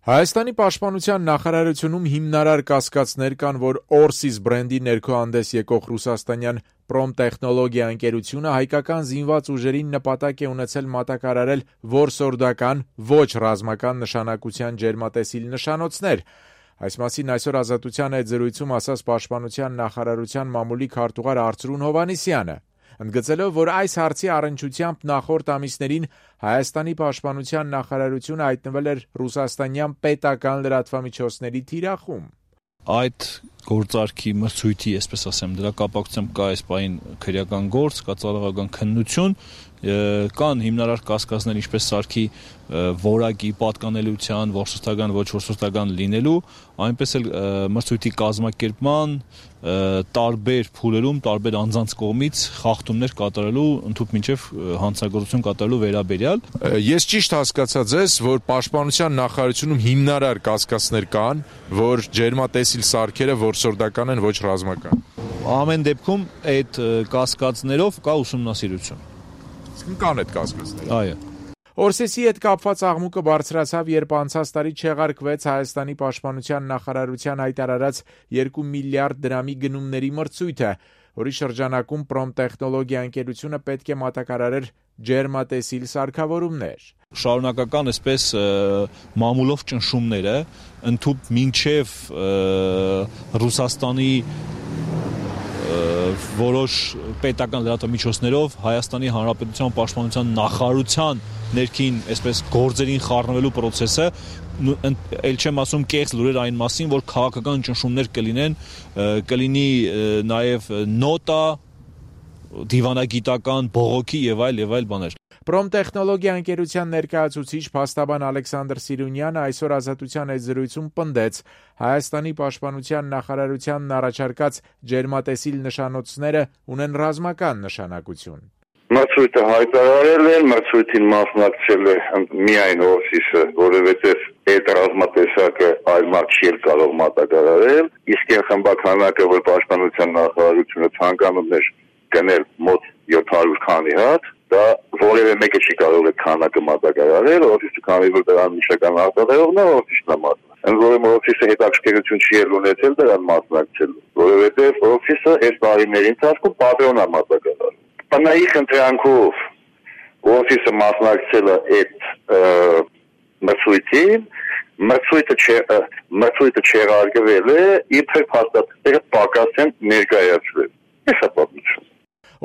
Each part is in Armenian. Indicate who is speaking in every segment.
Speaker 1: Հայաստանի պաշտպանության նախարարությունում հիմնարար կասկածներ կան, որ Օրսիս բրենդի ներքո հանդես եկող ռուսաստանյան Պրոմտեխնոլոգիա ընկերությունը հայկական զինված ուժերին նպատակ է ունեցել մատակարարել որսորդական, ոչ ռազմական նշանակության ջերմատեսիլ նշանոցներ։ Այս մասին այսօր Ազատության հետ զրույցում ասաց պաշտպանության նախարարության մամուլի քարտուղար Արծրուն Հովհաննիսյանը, ընդգծելով, որ այս հարցի առնչությամբ նախորդ ամիսներին Հայաստանի պաշտպանության նախարարությունը հայտնվել էր ռուսաստանյան պետական լրատվամիջոցների թիրախում։
Speaker 2: Այդ գործարքի մրցույթի, այսպես ասեմ, դրա կապակցությամբ կա այս պահին քրեական գործ, կա ծառայական քննություն, կան հիմնարար կասկածներ, ինչպես սարքի որակի, պատկանելիության, որսորդական, ոչ որսորդական լինելու, այնպես էլ մրցույթի կազմակերպման, տարբեր փուլերում, տարբեր անձանց կողմից խախտումներ կատարելու, ընդհանուր մինչև հանցագործություն կատարելու վերաբերյալ։
Speaker 1: Ես ճիշտ հասկացա ձեզ, որ պաշտպանության նախարարությունում հիմնարար կասկածներ կան, որ ջերմատեսիլ սարքերը որսորդական են, ոչ ռազմական։
Speaker 2: Ամեն դեպքում այդ կասկածներով կա ուսումնասիրություն։
Speaker 1: Կան այդ կասկածները։
Speaker 2: Այո։
Speaker 1: Օրսեսի հետ կապված աղմուկը բարձրացավ, երբ անցած տարի չեղարկվեց Հայաստանի պաշտպանության նախարարության հայտարարած 2 միլիարդ դրամի գնումների մրցույթը, որի շրջանակում Պրոմտեխնոլոգիա ընկերությունը պետք է մատակարարեր ջերմատեսիլ սարքավորումներ։
Speaker 2: Շարունակական այսպես մամուլով ճնշումները ընդհուպ մինչև Ռուսաստանի որոշ պետական լրատվամիջոցներով Հայաստանի Հանրապետության պաշտպանության նախարարության ներքին այսպես գործերին խառնվելու process-ը, էլ չեմ ասում կեղծ լուրեր այն մասին, որ քաղաքական ճնշումներ կլինեն, կլինի նաև նոտա, դիվանագիտական, բողոքի եւ այլ բաներ։
Speaker 1: Պրոմտեխնոլոգիա ընկերության ներկայացուցիչ փաստաբան Ալեքսանդր Սիրունյանը այսօր Ազատության հետ զրույցում պնդեց Հայաստանի պաշտպանության նախարարությանն առաջարկած ջերմատեսիլ նշանոցները ունեն ռազմական նշանակություն։
Speaker 3: Մրցույթը հայտարարել են, մրցույթին մասնակցել է միայն Օրսիսը, որովհետև այդ ռազմատեսակը այլ մարդ չի կարող մատակարարել, իսկ խմբականակը, որ պաշտպանության նախարարությունը ցանկանում էր գնել մոտ 700 քանի հատ, դա որևէ մեկը չի կարող այդ քանակը մատակարարել, Օրսիսը քանի որ դրան միշական արտադրողն է, Օրսիսն է մասնակցել։ Ընդ որում Օրսիսը հետաքրքրություն չի ունեցել դրան մասնակցելու, որովհետև Օրսիսը այդ տարիների ընթացքում պատրոն է մատակարարել։ Տնայի խնդրանքով Օրսիսը մասնակցել է այդ մրցույթին, մրցույթը չեղարկվել է, իբր փաստաթղթերը պակաս են ներկայացվել։ Այս է պատմությունը։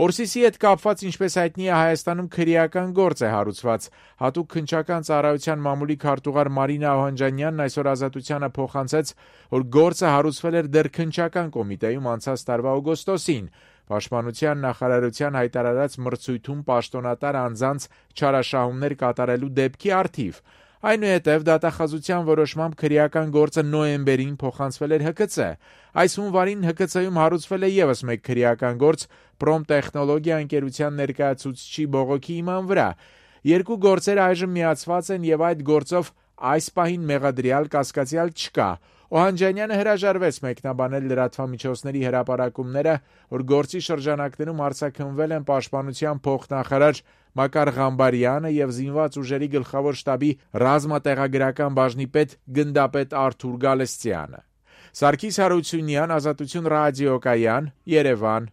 Speaker 1: Օրսիսի հետ կապված, ինչպես հայտնի է, Հայաստանում քրեական գործ է հարուցված։ Հատուկ քննչական ծառայության մամուլի քարտուղար Մարինա Օհանջանյանն այսօր Ազատությանը փոխանցեց, որ գործը հարուցվել էր դեռ քննչական կոմիտեում անցած տարվա օգոստոսին։ Պաշտպանության նախարարության հայտարարած մրցույթում պաշտոնատար անձանց չարաշահումներ կատարելու դեպքի առթիվ։ Այնուհետև դատախազության որոշմամբ քրեական գործը նոյեմբերին փոխանցվել էր ՀԿՑ։ Այս հունվարին ՀԿՑ-ում հարուցվել է ևս մեկ քրեական գործ Պրոմտեխնոլոգիա ընկերության ներկայացուցչի բողոքի հիման վրա։ Երկու գործերը այժմ միացված են եւ այդ գործով այս պահին մեղադրյալ կասկածյալ չկա։ Օհանջանյանը հրաժարվեց մեկնաբանել լրատվամիջոցների հրապարակումները, որ գործի շրջանակներում արձակնվել են պաշտպանության փոխնախարար Մակար Ղամբարյանը եւ զինված ուժերի գլխավոր շտաբի ռազմատեղագրական բաժնի պետ գնդապետ Արթուր Գալստյանը։ Սարգիս Հարությունյան, Ազատություն ռադիոկայան, Երևան։